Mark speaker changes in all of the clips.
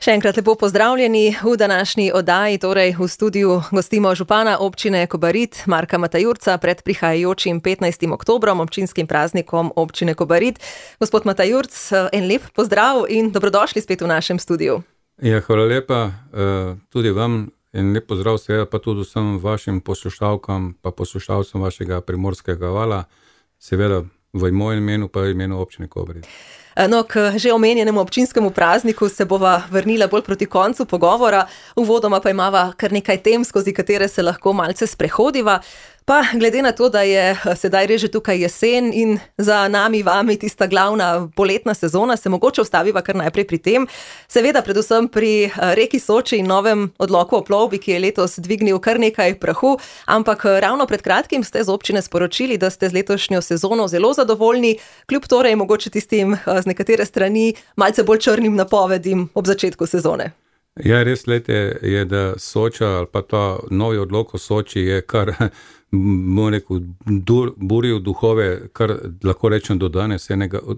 Speaker 1: Še enkrat lepo pozdravljeni v današnji oddaji, torej v studiu gostimo župana občine Kobarid, Marka Matajurca, pred prihajajočim 15. oktobrom, občinskim praznikom občine Kobarid. Gospod Matajurc, en lep pozdrav in dobrodošli spet v našem studiu.
Speaker 2: Ja, hvala lepa, tudi vam en lep pozdrav, seveda pa tudi vsem vašim poslušalkam pa poslušalcem vašega Primorskega vala, seveda v mojem imenu pa imenu občine Kobarid.
Speaker 1: No, k že omenjenemu občinskemu prazniku se bova vrnila bolj proti koncu pogovora, uvodoma pa imava kar nekaj tem, skozi katere se lahko malce sprehodiva. Pa glede na to, da je sedaj res že tukaj jesen in za nami vami tista glavna poletna sezona, se mogoče ustaviva kar najprej pri tem. Seveda predvsem pri reki Soči in novem odloku o plovbi, ki je letos dvignil kar nekaj prahu, ampak ravno pred kratkim ste z občine sporočili, da ste z letošnjo sezono zelo zadovoljni, kljub torej mogoče tistim z nekatere strani malce bolj črnim napovedim ob začetku sezone.
Speaker 2: Ja, res lete je, da Soča ali pa ta novi odlok o Soči je kar, bom rekel, buril duhove, kar lahko rečem do danes,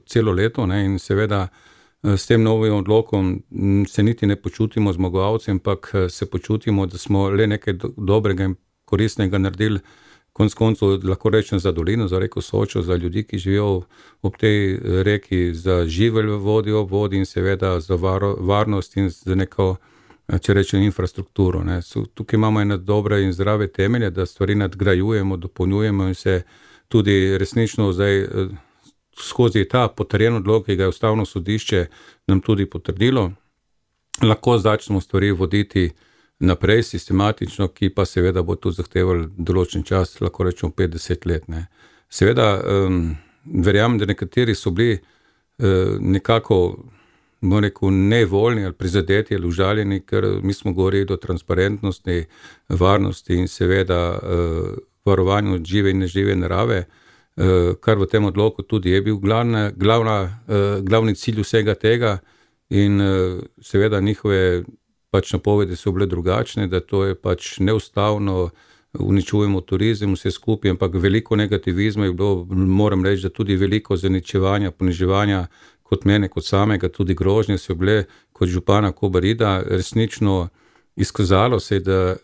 Speaker 2: celo leto, ne, in seveda s tem novim odlokom se niti ne počutimo zmagovalci, ampak se počutimo, da smo le nekaj dobrega in koristnega naredili, konec koncev lahko rečem za dolino, za reko Sočo, za ljudi, ki živijo ob tej reki, za živelj v vodi in seveda za varnost in za neko, če rečem, infrastrukturo. Ne. Tukaj imamo ene dobre in zdrave temelje, da stvari nadgrajujemo, dopolnjujemo in se tudi resnično zdaj skozi ta potrjen odlok, ki ga je Ustavno sodišče nam tudi potrdilo, lahko začnemo stvari voditi naprej sistematično, ki pa seveda bo tudi zahtevali določen čas, lahko rečemo 50 let. Ne. Seveda verjamem, da nekateri so bili nekako, bom rekel, nevoljni ali prizadeti ali užaljeni, ker mi smo govorili o transparentnosti, varnosti in seveda varovanju žive in nežive narave, kar v tem odloku tudi je bil glavni cilj vsega tega in seveda njihove pač napovedi so bile drugačne, da to je pač neustavno, uničujemo turizem, vse skupaj, ampak veliko negativizma je bilo, moram reči, da tudi veliko zaničevanja, poniževanja kot mene, kot samega, tudi grožnje so bile kot župana Kobarida, resnično izkazalo se, da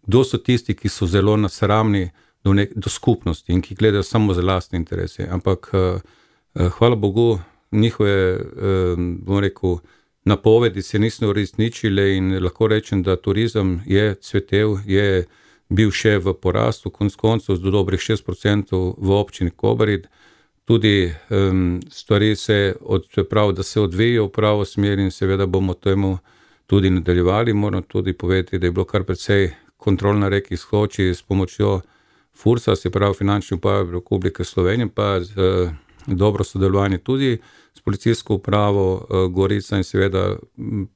Speaker 2: kdo so tisti, ki so zelo nasramni do skupnosti in ki gledajo samo za lastne interese, ampak hvala Bogu, njihove, bom rekel, napovedi se niso uresničile in lahko rečem, da turizem je cvetel, je bil še v porastu, konec koncev z dobrih 6% v občini Kobarid. Tudi stvari da se odvijajo v pravo smer in seveda bomo temu tudi nadaljevali. Moram tudi povedati, da je bilo kar precej kontrol na reki Soči s pomočjo FURS-a, se pravi Finančne uprave Republike Slovenije, pa dobro sodelovanje tudi s policijsko upravo Gorica in seveda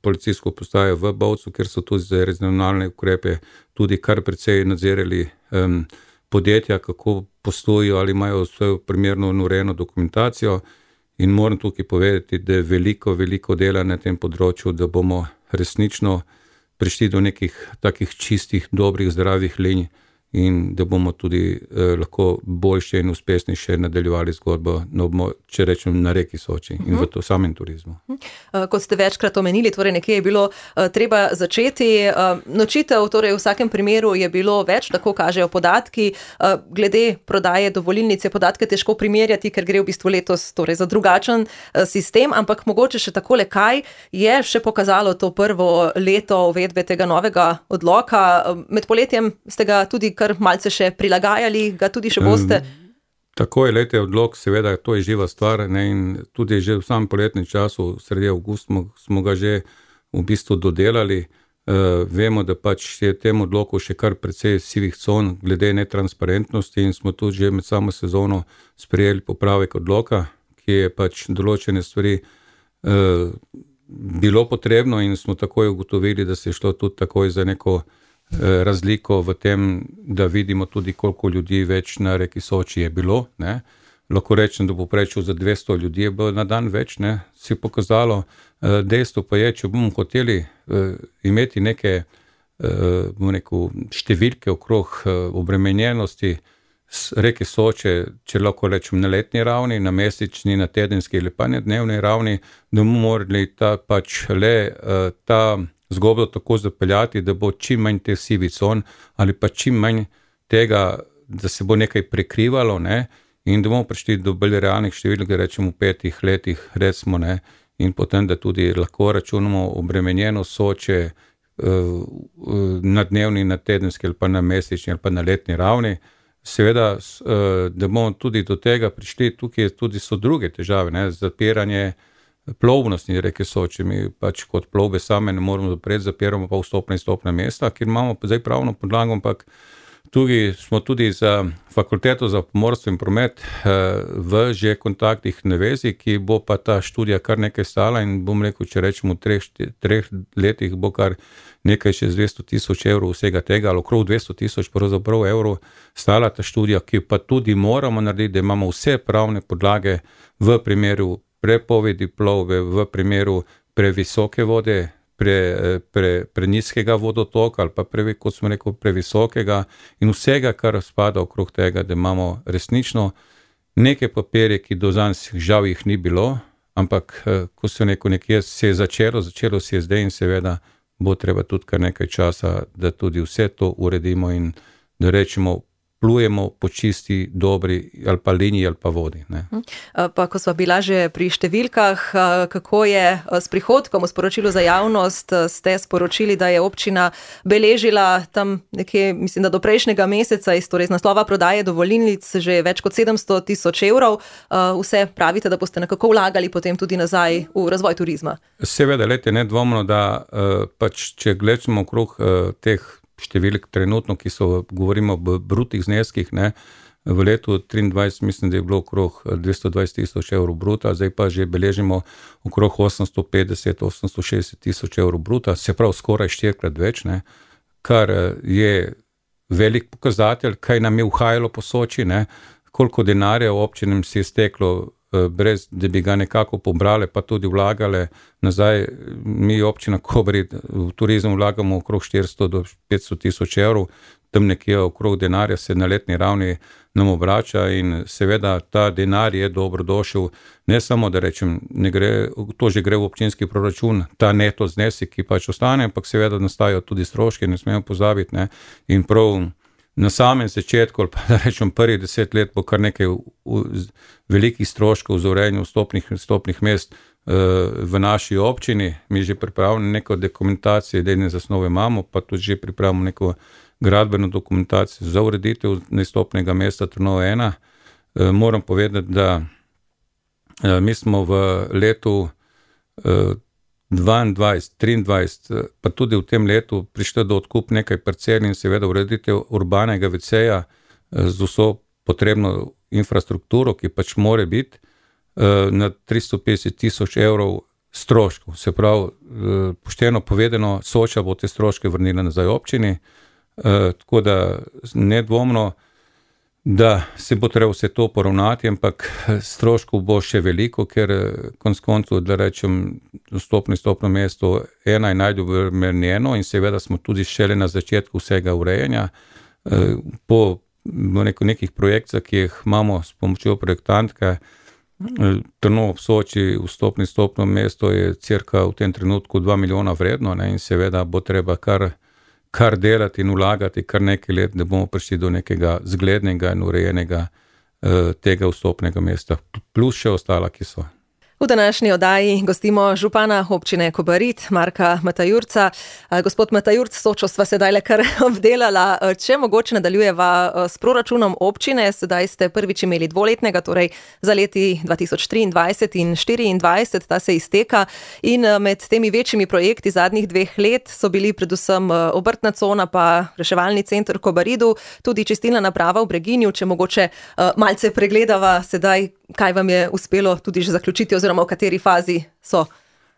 Speaker 2: policijsko postajo v Bovcu, kjer so tudi za regionalne ukrepe tudi kar precej nadzirali podjetja, kako poslujejo ali imajo vse primerno in urejeno dokumentacijo, in moram tukaj povedati, da je veliko dela na tem področju, da bomo resnično prišli do nekih takih čistih, dobrih, zdravih linij in da bomo tudi lahko boljše in uspešnejše nadaljevali zgodbo, če rečem, na reki Soči in v to samem turizmu.
Speaker 1: Kot ste večkrat omenili, torej nekje je bilo treba začeti. Nočitev, torej v vsakem primeru je bilo več, tako kažejo podatki. Glede prodaje dovolilnic je podatke težko primerjati, ker gre v bistvu letos torej za drugačen sistem, ampak mogoče še takole, kaj je še pokazalo to prvo leto uvedbe tega novega odloka. Med poletjem ste ga tudi kar malce še prilagajali, ga tudi še boste?
Speaker 2: Tako je, lete odlok, seveda, to je živa stvar, ne, in tudi že v samem poletnem času, sredi avgusta, smo ga že v bistvu dodelali. Vemo, da pač je tem odloku še kar precej sivih con glede netransparentnosti in smo tudi že med samo sezono sprejeli popravek odloka, ki je pač določene stvari bilo potrebno in smo takoj ugotovili, da se je šlo tudi takoj za neko razliko v tem, da vidimo tudi, koliko ljudi več na reki Soči je bilo. Ne. Lahko rečem, da bo povprečju za 200 ljudi je bilo na dan več, ne, si je pokazalo. Dejstvo pa je, če bomo hoteli imeti neke, bom rekel, številke okrog obremenjenosti reke Soče, če lahko rečem na letni ravni, na mesečni, na tedenski ali pa na dnevni ravni, da bomo morali ta zgodbo tako zapeljati, da bo čim manj teh sivih con ali pa čim manj tega, da se bo nekaj prekrivalo, ne, in da bomo prišli do bolj realnih številk, da rečemo v 5 letih, recimo, ne, in potem, da tudi lahko računamo obremenjeno Soče na dnevni, na tedenski ali pa na mesečni ali pa na letni ravni. Seveda, da bomo tudi do tega prišli, tukaj tudi so druge težave, ne, zapiranje plovnosti reke Soče. Mi pač kot plovbe same ne moramo zapreti, zapiramo pa vstopna in izstopna mesta, kjer imamo zdaj pravno podlago, ampak smo tudi za fakulteto za pomorstvo in promet v že kontaktih na vezi, ki bo pa ta študija kar nekaj stala in bom rekel, če rečemo v 3 letih bo kar nekaj čez 200,000 evrov vsega tega, ali okrog 200,000 pravzaprav evrov stala ta študija, ki pa tudi moramo narediti, da imamo vse pravne podlage v primeru prepovedi plovbe, v primeru previsoke vode, prenizkega vodotoka ali pa kot smo rekel, previsokega in vsega, kar spada okrog tega, da imamo resnično neke papirje, ki do danes žal jih ni bilo, ampak ko se nekje se je začelo se je zdaj in seveda bo treba tudi kar nekaj časa, da tudi vse to uredimo in da rečemo, plujemo po čisti, dobri ali pa liniji ali pa vodi. Ne.
Speaker 1: Pa ko sva bila že pri številkah, kako je s prihodkom v sporočilu za javnost, ste sporočili, da je občina beležila tam nekje, mislim, da do prejšnjega meseca torej iz naslova prodaje dovolilnic že več kot 700,000 evrov. Vse pravite, da boste nekako vlagali potem tudi nazaj v razvoj turizma. Seveda,
Speaker 2: nedvomno, da pač, če gledamo okrog teh številk trenutno, ki govorimo o brutih zneskih, ne, v letu 2023 mislim, da je bilo okrog 220,000 evrov bruta, zdaj pa že beležimo okrog 850-860,000 evrov bruta, se pravi skoraj 4-krat več, ne, kar je velik pokazatelj, kaj nam je uhajalo po Soči, ne, koliko denarja občinam si je steklo, brez da bi ga nekako pobrali, pa tudi vlagale nazaj. Mi občina Kobarid v turizem vlagamo okrog 400 do 500,000 evrov, tam nekje okrog denarja se na letni ravni nam obrača in seveda ta denar je dobrodošel, ne samo da rečem, to že gre v občinski proračun, ta neto znesek, ki pač ostane, ampak seveda nastajajo tudi stroški, ne smemo pozabiti, ne, in prav na samem začetku, ali pa da rečem prvih 10 let, bo kar nekaj velikih stroškov za urejanje vstopnih mest v naši občini. Mi že pripravljamo neko dokumentacijo, idejne zasnove imamo, pa tudi že pripravimo neko gradbeno dokumentacijo za ureditev vstopnega mesta Trnovo 1. Moram povedati, da mi smo v letu 2022-2023, pa tudi v tem letu prišli do odkup nekaj parcel in seveda ureditev urbanega WC-ja z vso potrebno infrastrukturo, ki pač more biti na 350,000 evrov stroškov. Se pravi, pošteno povedano, Soča bo te stroške vrnila nazaj občini, tako da nedvomno, da se bo treba vse to poravnati, ampak stroškov bo še veliko, ker konec koncev, da rečem, vstopno mesto 1 je najdobrmenjeno in seveda smo tudi šele na začetku vsega urejanja. Po nekih projekcijah, ki jih imamo s pomočjo projektantke, Trnovo ob Soči, vstopno mesto je cirka v tem trenutku 2 milijona vredno, ne, in seveda bo treba kar delati in vlagati kar nekaj let, da bomo prišli do nekega zglednega in urejenega tega vstopnega mesta, plus še ostala, ki so.
Speaker 1: V današnji oddaji gostimo župana občine Kobarid, Marka Matajurca. Gospod Matajurc, Sočo sva sedaj le kar obdelala. Če mogoče nadaljujeva s proračunom občine, sedaj ste prvič imeli dvoletnega, torej za leti 2023 in 2024, ta se izteka. In med temi večjimi projekti zadnjih 2 let so bili predvsem obrtna cona pa reševalni center v Kobaridu, tudi čistilna naprava v Breginju. Če mogoče malce pregledava sedaj, kaj vam je uspelo tudi že zaključiti oziroma v kateri fazi so?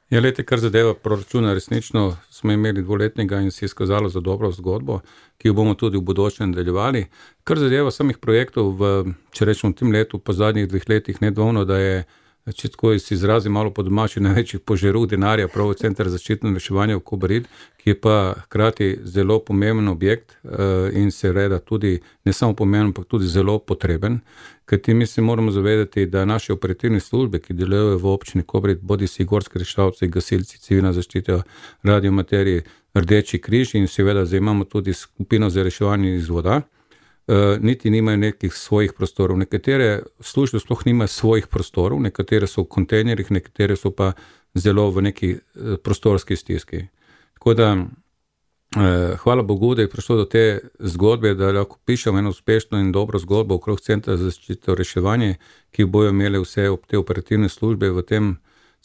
Speaker 2: Ja, kar zadeva proračuna, resnično smo imeli dvoletnega in se je izkazalo za dobro zgodbo, ki jo bomo tudi v bodoče nadaljevali. Kar zadeva samih projektov, če rečemo v tem letu, po zadnjih 2 letih, nedvomno, da je če tako si izrazim malo po domači, največjih požerov denarja prav v Center za zaščito in reševanje v Kobarid, ki je pa hkrati zelo pomemben objekt in seveda tudi ne samo pomemben, ampak tudi zelo potreben. Kajti mi se moramo zavedati, da naše operativne službe, ki delujejo v občini Kobarid, bodisi gorski reševalci, gasilci, civilna zaščita, radioamaterji, Rdeči križ in seveda zdaj imamo tudi skupino za reševanje iz voda, niti nimajo nekih svojih prostorov. Nekatere službe sploh nimajo svojih prostorov, nekatere so v kontejnerjih, nekatere so pa zelo v neki prostorski stiski. Tako da hvala Bogu, da je prišlo do te zgodbe, da lahko pišemo eno uspešno in dobro zgodbo okrog Centra za zaščito in reševanje, ki bojo imeli vse te operativne službe v tem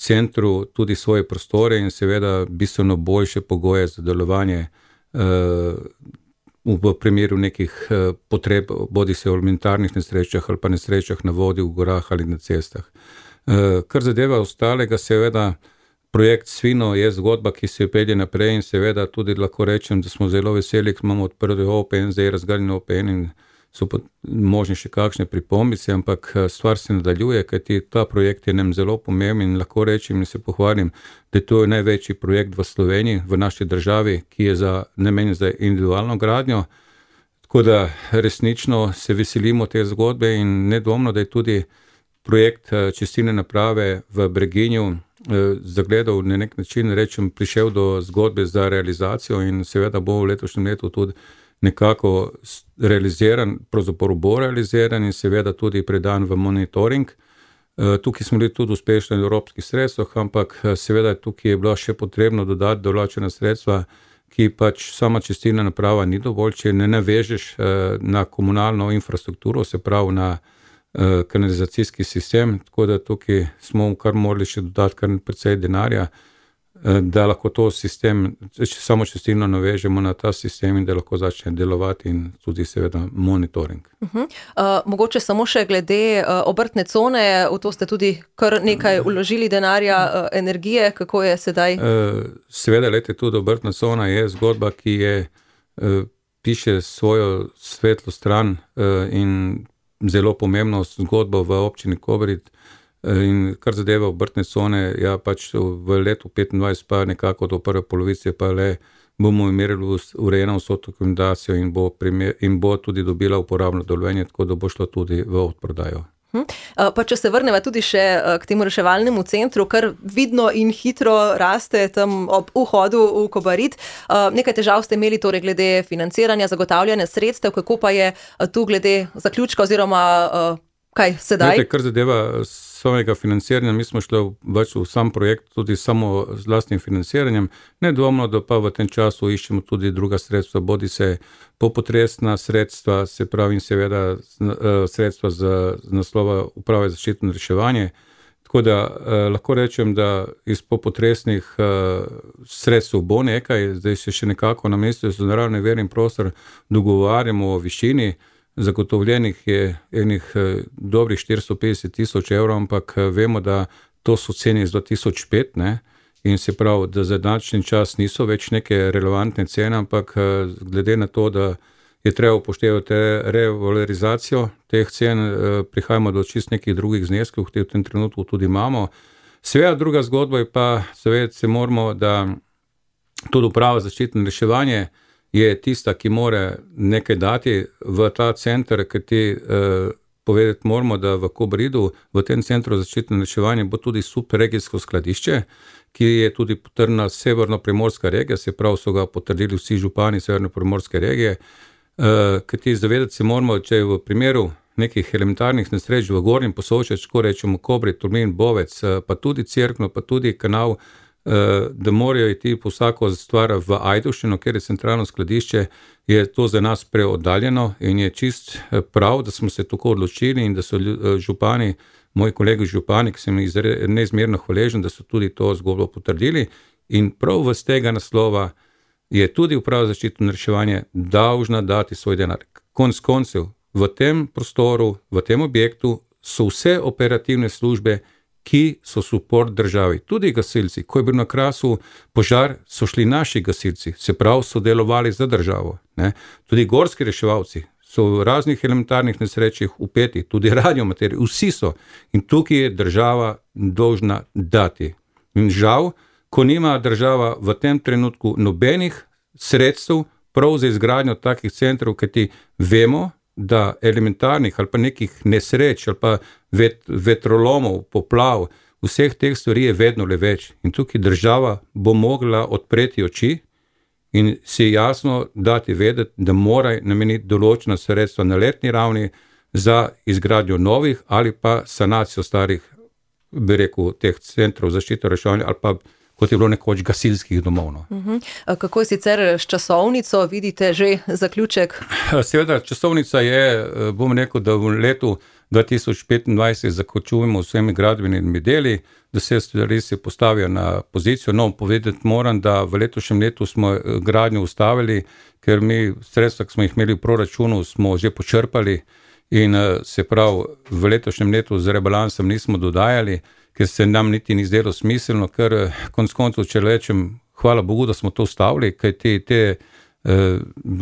Speaker 2: centru tudi svoje prostore in seveda bistveno boljše pogoje za delovanje v primeru nekih potreb, bodi se v elementarnih nesrečah ali pa nesrečah na vodi, v gorah ali na cestah. Kar zadeva ostalega, seveda projekt Svino je zgodba, ki se pelje naprej in seveda tudi lahko rečem, da smo zelo veseli, ker imamo odprli OPN, zdaj razgaljen OPN in so možni še kakšne pripombice, ampak stvar se nadaljuje, kajti ta projekt je nam zelo pomemben in lahko rečem in se pohvalim, da je to največji projekt v Sloveniji, v naši državi, ki je namenjen za individualno gradnjo. Tako da resnično se veselimo te zgodbe in nedvomno, da je tudi projekt čistilne naprave v Breginju zagledal na nek način, rečem, prišel do zgodbe za realizacijo in seveda bo v letošnjem letu tudi nekako realiziran, pravzaprav bo realiziran in seveda tudi predan v monitoring. Tukaj smo bili tudi uspešni v evropskih sredstvih, ampak seveda tukaj je bilo še potrebno dodati določena sredstva, ki pač sama čistilna naprava ni dovolj, če ne navežeš na komunalno infrastrukturo, se pravi na kanalizacijski sistem, tako da tukaj smo kar morali še dodati kar precej denarja, da lahko to sistem, samo čistilno navežemo na ta sistem in da lahko začne delovati in tudi seveda monitoring.
Speaker 1: Mogoče samo še glede obrtne cone, v to ste tudi kar nekaj vložili denarja, energije, kako je sedaj?
Speaker 2: Seveda, lejte, tudi obrtna cona je zgodba, ki je piše svojo svetlo stran in zelo pomembno zgodbo v občini Kobarid. In kar zadeva obrtne cone, ja pač v letu 2025 pa nekako do prve polovice pa le bomo imeli urejeno vso dokumentacijo in bo tudi dobila uporabno dovoljenje, tako da bo šlo tudi v odprodajo.
Speaker 1: Pa če se vrneva tudi še k temu reševalnemu centru, kar vidno in hitro raste tam ob vhodu v Kobarid. Nekaj težav ste imeli torej glede financiranja, zagotavljanja sredstev, kako pa je tu glede zaključka oziroma kaj sedaj?
Speaker 2: Kar zadeva samega financiranja, mi smo šli v sam projekt tudi samo z vlastnim financiranjem, nedvomno, da pa v tem času iščemo tudi druga sredstva, bodi se popotresna sredstva, se pravi in seveda sredstva z naslova Uprave za zaščito in reševanje. Tako da lahko rečem, da iz popotresnih sredstev bo nekaj, zdaj se še nekako na Ministrstvu za naravne vire in prostor dogovarjamo o višini. Zagotovljenih je enih dobrih 450,000 evrov, ampak vemo, da to so cene iz 2005, ne? In se pravi, da za današnji čas niso več neke relevantne cene, ampak glede na to, da je treba upoštevati revalorizacijo teh cen, prihajamo do čist nekih drugih zneskov, ki v tem trenutku tudi imamo. Seveda druga zgodba je pa, zavedati se moramo, da tudi Uprava za zaščito in reševanje je tista, ki mora nekaj dati v ta center, ker ti povedati moramo, da v Kobaridu, v tem centru za zaščito in reševanje bo tudi subregijsko skladišče, ki je tudi potrjena severno-primorska regija, se pravi so ga potrdili vsi župani severno-primorske regije, ker ti zavedati se moramo, če je v primeru nekih elementarnih nesreč v Gornjem Posočju, če rečemo Kobarid, Tolmin, Bovec, pa tudi Cerkno, pa tudi Kanal, da morajo iti po vsako stvar v Ajdovščino, ker je centralno skladišče, je to za nas preoddaljeno in je čist prav, da smo se tako odločili in da so župani, moji kolegi župani, ki sem neizmerno hvaležen, da so tudi to zgodbo potrdili in prav z tega naslova je tudi Uprava za zaščito in reševanje dolžna dati svoj denar. Konec koncev, v tem prostoru, v tem objektu so vse operativne službe, ki so suport državi. Tudi gasilci, ko je bil na Krasu požar, so šli naši gasilci, se pravi, so delovali za državo. Ne? Tudi gorski reševalci so v raznih elementarnih nesrečah vpeti, tudi radiomaterije, vsi so. In tukaj je država dolžna dati. In žal, ko nima država v tem trenutku nobenih sredstev prav za izgradnjo takih centrov, kajti vemo, da elementarnih ali pa nekih nesreč ali pa vetrolomov, poplav, vseh teh stvari je vedno le več. In tukaj država bo mogla odpreti oči in si jasno dati vedeti, da mora nameniti določena sredstva na letni ravni za izgradnjo novih ali pa sanacijo starih, bi rekel, teh centrov zaščite reševanja ali pa kot je bilo nekoč gasilskih domov. No.
Speaker 1: Kako je sicer s časovnico? Vidite že zaključek?
Speaker 2: Seveda, časovnica je, bom rekel, da v letu 2025 zaključujemo vsemi gradbenimi deli, da stvari se postavijo na pozicijo. No, povedati moram, da v letošnjem letu smo gradnjo ustavili, ker mi sredstva, ki smo jih imeli v proračunu, smo že počrpali in se pravi, v letošnjem letu z rebalansom nismo dodajali, ker se nam niti ni zdelo smiselno, ker konec koncev, če rečem, hvala Bogu, da smo to ustavili, kaj te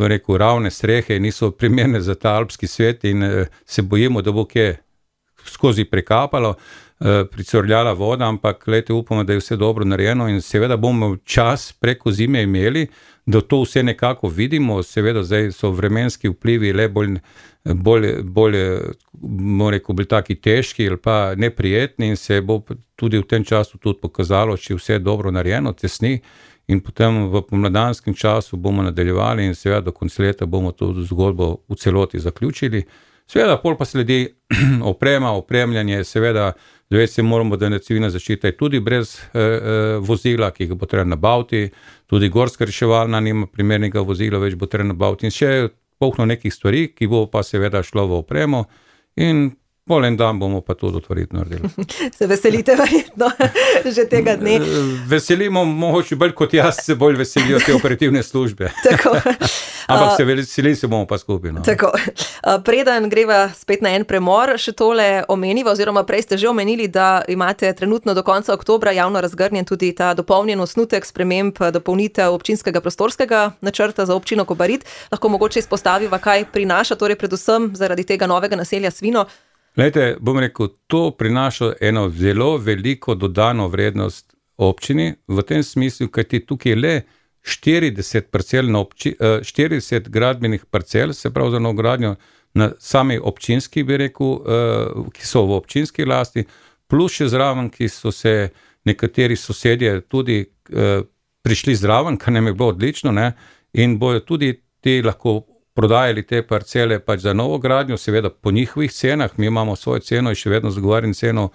Speaker 2: rekel, ravne strehe niso primerne za ta alpski svet in se bojimo, da bo kje skozi prekapalo, pricurljala voda, ampak glejte, upamo, da je vse dobro narejeno in seveda bomo čas preko zime imeli, da to vse nekako vidimo, seveda zdaj so vremenski vplivi le bolj rekel, bolj taki težki ali pa neprijetni in se bo tudi v tem času tudi pokazalo, če vse dobro narejeno, tesni in potem v pomladanskem času bomo nadaljevali in seveda do konca leta bomo to zgodbo v celoti zaključili. Seveda, pol pa sledi oprema, opremljanje, seveda, zavesti se moramo, da je civilna zaščita tudi brez vozila, ki ga bo treba nabaviti, tudi gorska reševalna nima primernega vozila, več bo treba nabaviti in še polno nekih stvari, ki bo pa seveda šlo v opremo in pol en dan bomo pa to otvoriti naredili.
Speaker 1: Se veselite verjetno že tega dne?
Speaker 2: Veselimo, mogoče bolj kot jaz se bolj veselijo te operativne službe.
Speaker 1: Tako.
Speaker 2: Ampak se veseli se bomo pa skupaj. No.
Speaker 1: Tako. Preden greva spet na en premor, še tole omeniva, oziroma prej ste že omenili, da imate trenutno do konca oktobra javno razgrnjen tudi ta dopolnjen osnutek sprememb dopolnitev občinskega prostorskega načrta za občino Kobarid. Lahko mogoče izpostaviva, kaj prinaša, torej predvsem zaradi tega novega naselja Svino.
Speaker 2: Glejte, bom rekel, to prinaša eno zelo veliko dodano vrednost občini, v tem smislu, kajti tukaj je le 40 gradbenih parcel, se pravi za novogradnjo na sami občinski, bi rekel, ki so v občinski lasti, plus še zraven, ki so se nekateri sosedje tudi prišli zraven, kar nam je bilo odlično, ne, in bojo tudi ti lahko prodajali te parcele pač za novogradnjo, seveda po njihovih cenah, mi imamo svojo ceno in še vedno zagovarjam ceno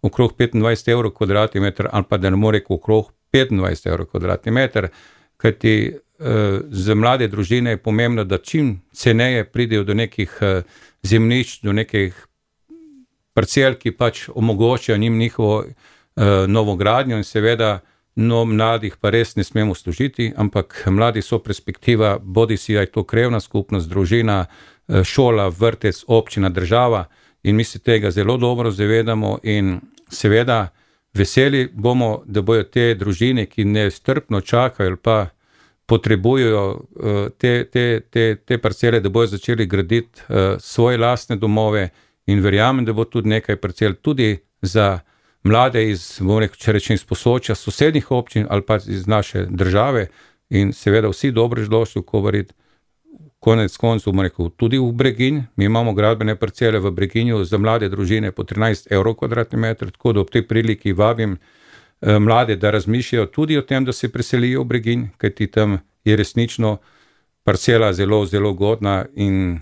Speaker 2: okrog 25 evrov kvadratni meter, ali pa da ne more rekel okrog 25 evrov kvadratni meter, kajti za mlade družine je pomembno, da čim ceneje pridejo do nekih zemljišč, do nekih parcel, ki pač omogočajo njim njihovo novogradnjo in seveda no, mladih pa res ne smemo služiti, ampak mladi so perspektiva, bodi si je to krevna skupnost, družina, šola, vrtec, občina, država in mi se tega zelo dobro zavedamo in seveda veseli bomo, da bojo te družine, ki nestrpno čakajo ali pa potrebujejo te parcele, da bojo začeli graditi svoje lastne domove in verjamem, da bo tudi nekaj parcel tudi za mlade iz, če rečem, iz Posočja, sosednjih občin ali pa iz naše države in seveda vsi dobrodošli v Kobarid, konec koncev, tudi v Breginj. Mi imamo gradbene parcele v Breginju za mlade družine po 13 evrov kvadratni meter, tako da ob tej priliki vabim mlade, da razmišljajo tudi o tem, da se preselijo v Breginj, kajti tam je resnično parcela zelo, zelo godna in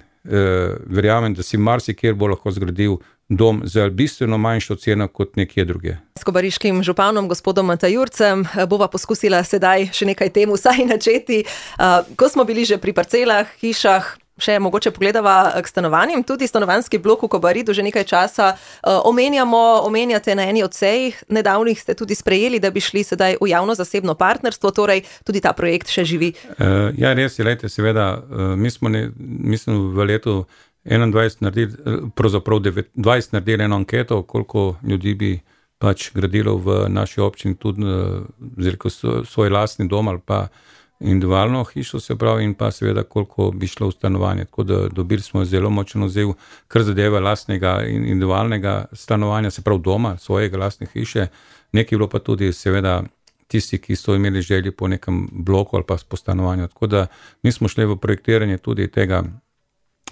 Speaker 2: verjamem, da si marsikjer bo lahko zgradil dom za bistveno manjšo ceno kot nekje druge.
Speaker 1: S kobariškim županom, gospodom Matajurcem, bova poskusila sedaj še nekaj tem vsaj načeti. Ko smo bili že pri parcelah, hišah, še mogoče pogledava k stanovanjem, tudi stanovanjski blok v Kobaridu že nekaj časa omenjate na eni od sej, nedavnih ste tudi sprejeli, da bi šli sedaj v javno-zasebno partnerstvo, torej tudi ta projekt še živi.
Speaker 2: Ja, res je, lejte, seveda, mi smo v letu 21 naredili, pravzaprav 20 naredili eno anketo, koliko ljudi bi pač gradilo v naši občini tudi svoj lastni dom ali pa individualno hišo, se pravi, in pa seveda, koliko bi šlo v stanovanje. Tako da dobili smo zelo močen odziv, kar zadeva lastnega individualnega stanovanja, se pravi doma, svojega lastne hiše. Nekaj bilo pa tudi seveda tisti, ki so imeli želje po nekem bloku ali pa po stanovanju. Tako da mi smo šli v projektiranje tudi tega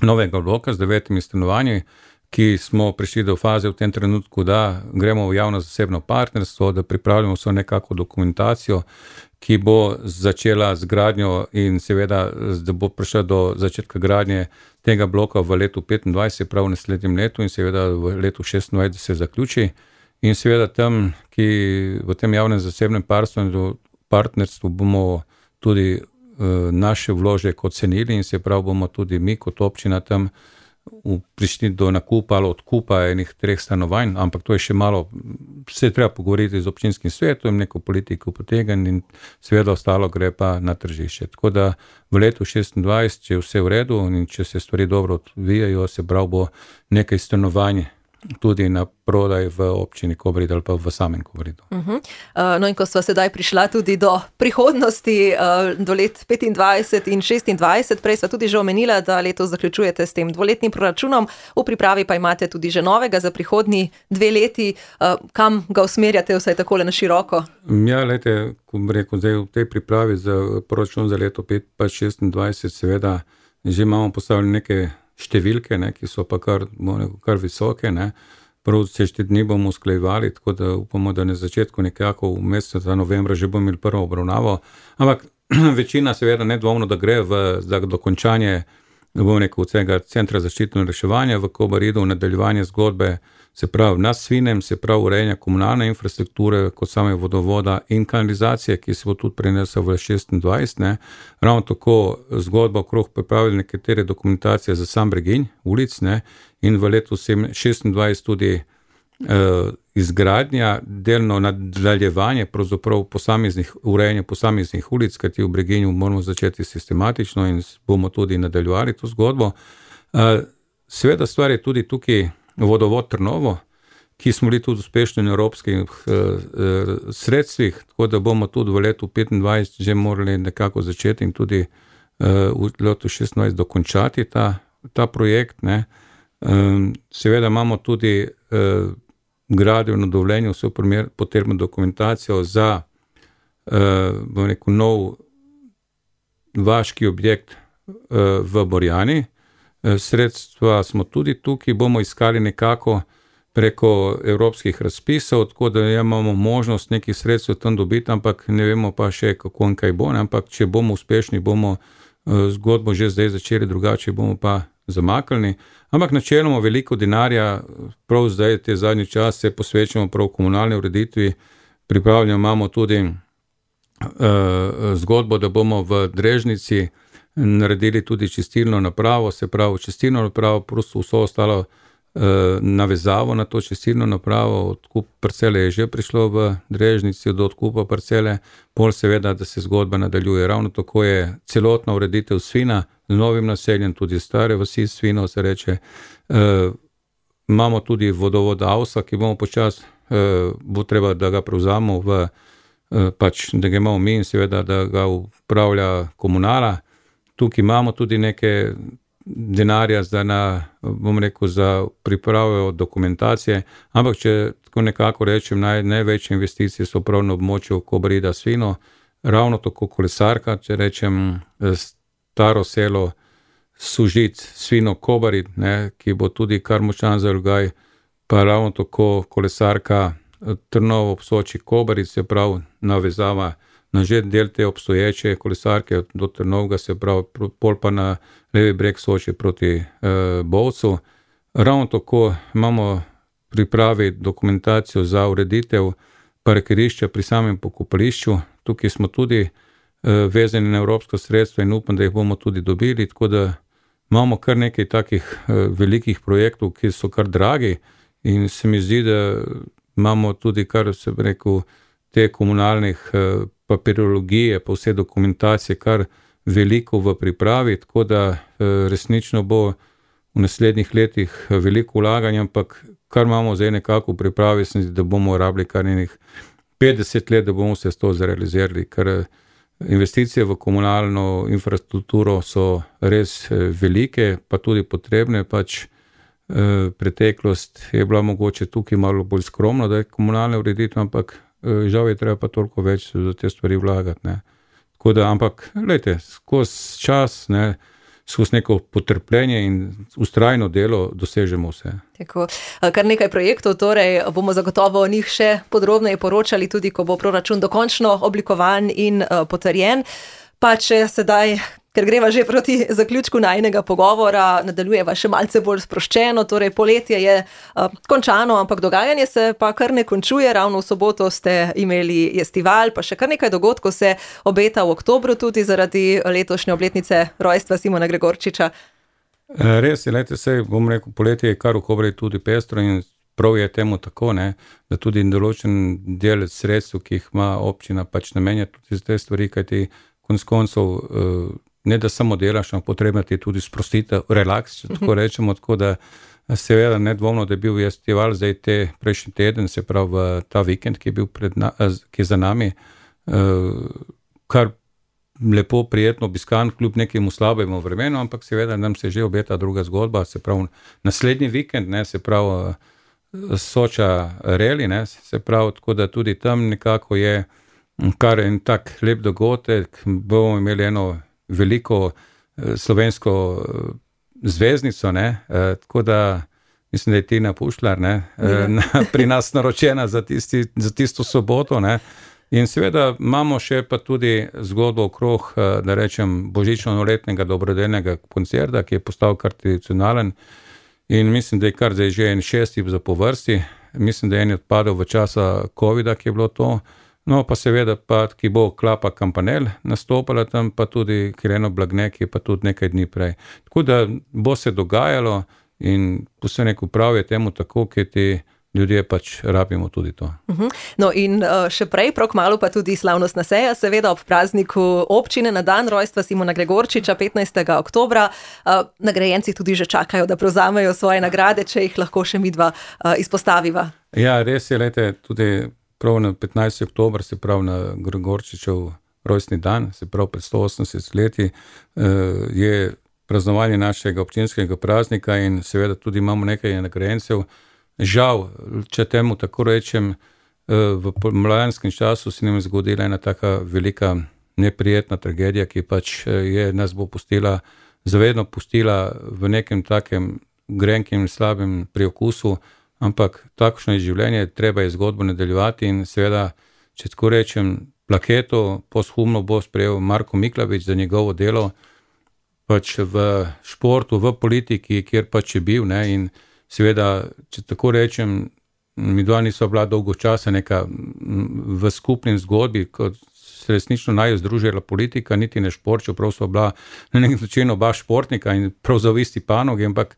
Speaker 2: novega bloka z 9 stanovanji, ki smo prišli do faze v tem trenutku, da gremo v javno-zasebno partnerstvo, da pripravljamo vso nekako dokumentacijo, ki bo začela z gradnjo in seveda, da bo prišla do začetka gradnje tega bloka v letu 2025, prav v naslednjem letu in seveda v letu 2026, da se zaključi. In seveda tam, ki v tem javnem-zasebnem partnerstvu bomo tudi naše vložek ocenili in se prav bomo tudi mi kot občina tam prišli do nakupa ali odkupa enih 3 stanovanj, ampak to je še malo, se je treba pogovoriti z občinskim svetom, neko politiko potegniti in seveda ostalo gre pa na tržišče. Tako da v letu 2026, če je vse v redu in če se stvari dobro odvijajo, se prav bo nekaj stanovanj tudi na prodaj v občini Kobaridu ali pa v samem Kobaridu.
Speaker 1: No in ko sva sedaj prišla tudi do prihodnosti, do let 25 in 26, prej sva tudi že omenila, da letos zaključujete s tem 2-letnim proračunom, v pripravi pa imate tudi že novega za prihodnji 2 leti. Kam ga usmerjate vsaj takole na široko?
Speaker 2: Ja, lejte, ko bi rekel, zdaj v tej pripravi za proračun za leto 25-26, seveda že imamo postavljene neke številke, ki so pa kar visoke. Prav se 4 dni bomo usklajevali, tako da upamo, da na začetku nekako v mesecu novembra že bomo imeli prvo obravnavo. Ampak večina seveda nedvomno, da gre za dokončanje vsega centra zaščite in reševanja v Kobaridu, nadaljevanje zgodbe, se pravi na Svinem, se pravi urejanje komunalne infrastrukture, kot same vodovoda in kanalizacije, ki se bo tudi prenesel v 26. Ravno tako zgodba okrog pripravili nekatere dokumentacije za sam breginj ulic, in v letu 26 tudi izgradnja, delno nadaljevanje pravzaprav urejanje posameznih ulic, kajti v breginju moramo začeti sistematično in bomo tudi nadaljevali to zgodbo. Seveda stvar je tudi tukaj vodovod Trnovo, ki smo bili tudi uspešni na evropskih sredstvih, tako da bomo tudi v letu 25 že morali nekako začeti in tudi v letu 26 dokončati ta projekt. Seveda imamo tudi gradbeno dovoljenje, vso potrebno dokumentacijo za nov vaški objekt v Borjani. Sredstva smo tudi tukaj, bomo iskali nekako preko evropskih razpisov, tako da imamo možnost nekih sredstev tam dobiti, ampak ne vemo pa še kako in kaj bo, ampak če bomo uspešni, bomo zgodbo že zdaj začeli, drugače bomo pa zamaknili. Ampak načeloma veliko denarja, prav zdaj te zadnji čas se posvečamo prav komunalni ureditvi, pripravljamo imamo tudi zgodbo, da bomo v Drežnici naredili tudi čistilno napravo, se pravi čistilno napravo, prosto vso ostalo navezavo na to čistilno napravo. Odkup parcele je že prišlo v Drežnici, do odkupa parcele, pol seveda, da se zgodba nadaljuje. Ravno tako je celotna ureditev Svina z novim naseljem, tudi stare vasi Svino se reče. Imamo tudi vodovod Avsa, ki bomo počas, bo treba, da ga prevzamo da ga imamo mi in seveda, da ga upravlja komunala. Tukaj imamo tudi neke denarja za pripravo dokumentacije, ampak če tako nekako rečem, največje investicije so prav na območju Kobarida Svino, ravno tako kolesarka, če rečem staro selo Sužic Svino Kobarid, ki bo tudi kar močan zalogaj, pa ravno tako kolesarka Trnovo ob Soči Kobarid, se pravi navezava na že del te obstoječe kolesarke do Trnovega, se pravi pol pa na levi breg Soče proti Bovcu. Ravno tako imamo pripravi dokumentacijo za ureditev parkirišča pri samem pokopališču. Tukaj smo tudi vezani na evropsko sredstvo in upam, da jih bomo tudi dobili, tako da imamo kar nekaj takih velikih projektov, ki so kar dragi in se mi zdi, da imamo tudi kar se bi rekel te komunalnih papirologije, pa vse dokumentacije kar veliko v pripravi, tako da resnično bo v naslednjih letih veliko vlaganja, ampak kar imamo zdaj nekako v pripravi, da bomo rabili kar nekih 50 let, da bomo se to zrealizirali, ker investicije v komunalno infrastrukturo so res velike, pa tudi potrebne, pač preteklost je bila mogoče tukaj malo bolj skromna, da je komunalne ureditve, ampak žal je treba pa toliko več za te stvari vlagati, ne. Tako da, ampak, glejte, skozi čas, ne, skozi neko potrpljenje in vztrajno delo dosežemo vse.
Speaker 1: Tako, kar nekaj projektov, torej bomo zagotovo o njih še podrobneje poročali, tudi ko bo proračun dokončno oblikovan in potrjen. Pa če sedaj, ker greva že proti zaključku najinega pogovora, nadaljujeva še malce bolj sproščeno, torej poletje je končano, ampak dogajanje se pa kar ne končuje. Ravno v soboto ste imeli festival, pa še kar nekaj dogodkov se obeta v oktobru tudi zaradi letošnje obletnice rojstva Simona Gregorčiča.
Speaker 2: Res je, lejte, sej bom rekel, poletje je kar v Kobriji tudi pestro in prav je temu tako, ne, da tudi določen del sredstev, ki jih ima občina, pač namenja tudi za te stvari, kajti konec koncev ne da samo delaš, ampak potrebno ti je tudi sprostitev, relaks, če tako rečemo, tako da seveda nedvomno, da je bil festival zdaj prejšnji teden, se pravi ta vikend, ki je bil ki je za nami, kar lepo, prijetno obiskan, kljub nekemu slabemu vremenu, ampak seveda nam se že obeta druga zgodba, se pravi naslednji vikend, ne, se pravi Soča Reli, ne, se pravi, tako da tudi tam nekako je kar en tak lep dogodek, bomo imeli eno veliko slovensko zvezdnico, ne, tako da mislim, da je Tina Pušlar, ne, pri nas naročena za tisto soboto, ne, in seveda imamo še pa tudi zgodbo okrog, da rečem, božično-novoletnega dobrodelnega koncerta, ki je postal kar tradicionalen in mislim, da je kar zdaj že en 6. zapovrsti, mislim, da je en odpadel v časa covida, ki je bilo to. No, pa seveda, ki bo Klapa Kampanel nastopala tam, pa tudi Kireno Blagne, ki je pa tudi nekaj dni prej. Tako da bo se dogajalo in vse neko prav je temu tako, ker ti ljudje pač rabimo tudi to.
Speaker 1: No in še prej, prav kmalu pa tudi slavnostna seja, seveda ob prazniku občine na dan rojstva Simona Gregorčiča, 15. oktobra. Nagrajenci tudi že čakajo, da prevzamejo svoje nagrade, če jih lahko še midva izpostaviva. Ja,
Speaker 2: res je, lejte, tudi prav na 15. oktober, se pravi na Gregorčičev rojstni dan, se pravi pred 180 leti, je praznovanje našega občinskega praznika in seveda tudi imamo nekaj nagrajencev. Žal, če temu tako rečem, v mladanskem času se nam je zgodila ena taka velika neprijetna tragedija, ki pač nas bo zavedno pustila v nekem takem grenkem, slabem priokusu, ampak takšno je življenje, treba je zgodbo nadaljevati in seveda, če tako rečem, plaketo posthumno bo sprejel Marko Miklavič za njegovo delo pač v športu, v politiki, kjer pač je bil, ne, in seveda, če tako rečem, mi dva nisva bila dolgo časa neka v skupnem zgodbi, kot se resnično naj združila politika, niti ne šport, čeprav sva bila na nek način oba športnika in prav za isti panogi, ampak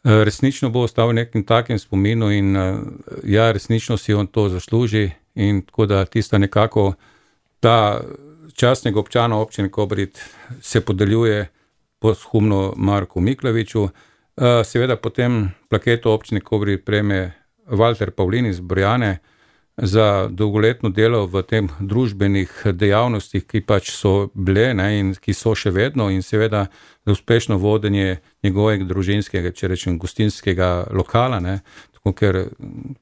Speaker 2: resnično bo ostal v nekem takem spominu in ja, resnično si on to zasluži in tako da tista nekako ta častnega občana občine Kobarid se podeljuje posthumno Marku Miklaviču. Seveda potem plaketo občine Kobarid prejme Valter Pavlin iz Borjane za dolgoletno delo v tem družbenih dejavnostih, ki pač so bile, ne, in ki so še vedno in seveda za uspešno vodenje njegovega družinskega, če rečem, gostinskega lokala, ne, tako ker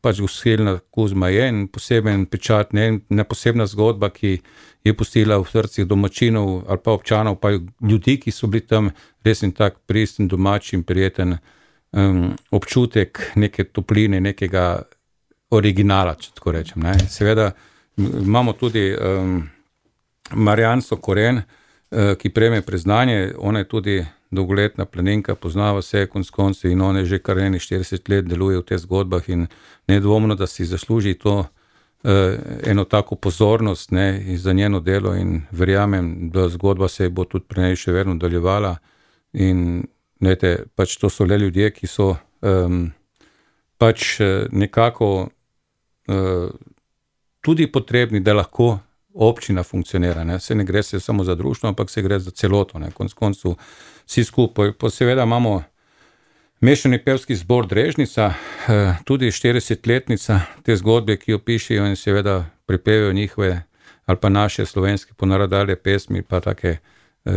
Speaker 2: pač Gostilna Kuzma je en poseben pečat, ne posebna zgodba, ki je pustila v srcih domačinov ali pa občanov, pa ljudi, ki so bili tam, res in tak pristen, domač in prijeten občutek neke topline, nekega originala, če tako rečem, ne. Seveda imamo tudi Marjanco Koren, ki prejme priznanje, ona je tudi dolgoletna planinka, poznava se konec koncev in ona je že kar 40 let deluje v teh zgodbah in nedvomno, da si zasluži to eno tako pozornost, ne, za njeno delo in verjamem, da zgodba se bo tudi pri njej še vedno nadaljevala in glejte, pač to so le ljudje, ki so pač nekako tudi potrebni, da lahko občina funkcionira, ne. Se ne gre se samo za društvo, ampak se gre za celoto, ne, konec koncev vsi skupaj. Pa seveda imamo mešani pevski zbor Drežnica, tudi 40-letnica te zgodbe, ki jo pišejo in seveda prepevajo njihove ali pa naše slovenske ponarodale pesmi, pa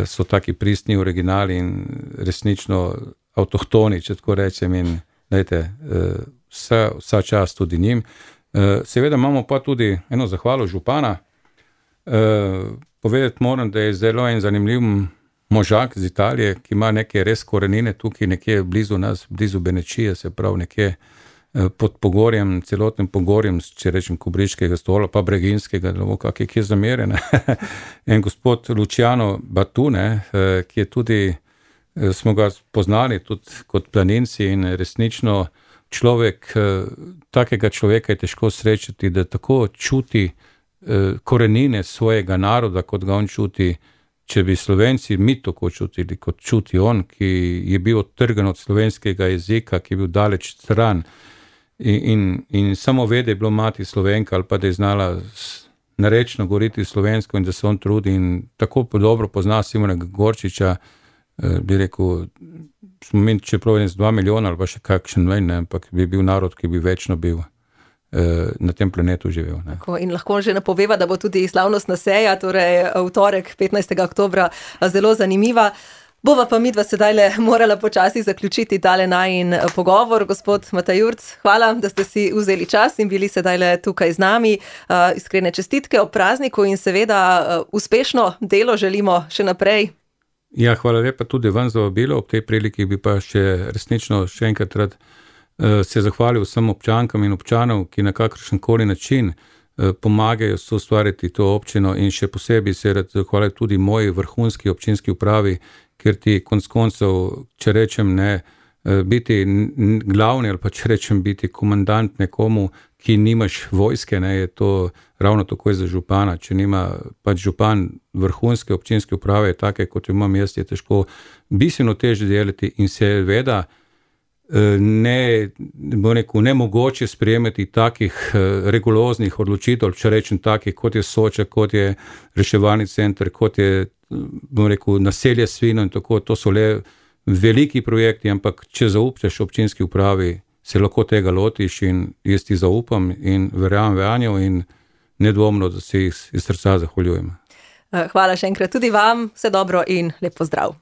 Speaker 2: so taki pristni originali in resnično avtohtoni, če tako rečem, in dajte, vsa čast tudi njim. Seveda imamo pa tudi eno zahvalo župana. Povedati moram, da je zelo en zanimiv možak iz Italije, ki ima neke res korenine tukaj nekje blizu nas, blizu Benečije, se pravi nekje pod Pogorjem, celotnim Pogorjem, če rečem Kubriškega stola, pa Breginskega, kak je zameren. En gospod Luciano Batune, ki je tudi, smo ga poznali tudi kot planinci in resnično človek, takega človeka je težko srečati, da tako čuti korenine svojega naroda, kot ga on čuti. Če bi Slovenci mi tako čutili, kot čuti on, ki je bil odtrgan od slovenskega jezika, ki je bil daleč stran in samo ve, da je bilo mati Slovenka ali pa da je znala narečno govoriti slovensko in da se on trudi in tako dobro pozna Simona Gorčiča, bi rekel, smo mi čeprav 2 milijona ali pa še kakšen manj, ampak bi bil narod, ki bi večno bil na tem planetu živel.
Speaker 1: In lahko že napoveva, da bo tudi slavnostna seja, torej v torek 15. oktobra zelo zanimiva. Bova pa midva sedaj morala počasi zaključiti tale najin pogovor. Gospod Matej Jurc, hvala, da ste si vzeli čas in bili sedaj tukaj z nami. Iskrene čestitke ob prazniku in seveda uspešno delo želimo še naprej.
Speaker 2: Ja, hvala lepa tudi vam za vabilo. Ob tej priliki bi pa resnično še enkrat rad se zahvalil vsem občankam in občanov, ki na kakršen koli način pomagajo soustvariti to občino in še posebej se rad zahvalil tudi moji vrhunski občinski upravi, ker ti konec koncev, če rečem biti glavni ali pa če rečem biti komandant nekomu, ki nimaš vojske, je to ravno tako za župana. Če nima pač župan vrhunske občinske uprave, take kot jo imam jaz, je težko bistveno težje delati in seveda nemogoče sprejemati takih rigoroznih odločitev, če rečem takih, kot je Soča, kot je reševalni center, kot je naselje Svino in tako, to so le veliki projekti, ampak če zaupaš občinski upravi, se lahko tega lotiš in jaz ti zaupam in verjamem vanjo in nedvomno, da se jih iz srca zahvaljujem.
Speaker 1: Hvala še enkrat tudi vam, vse dobro in lep pozdrav.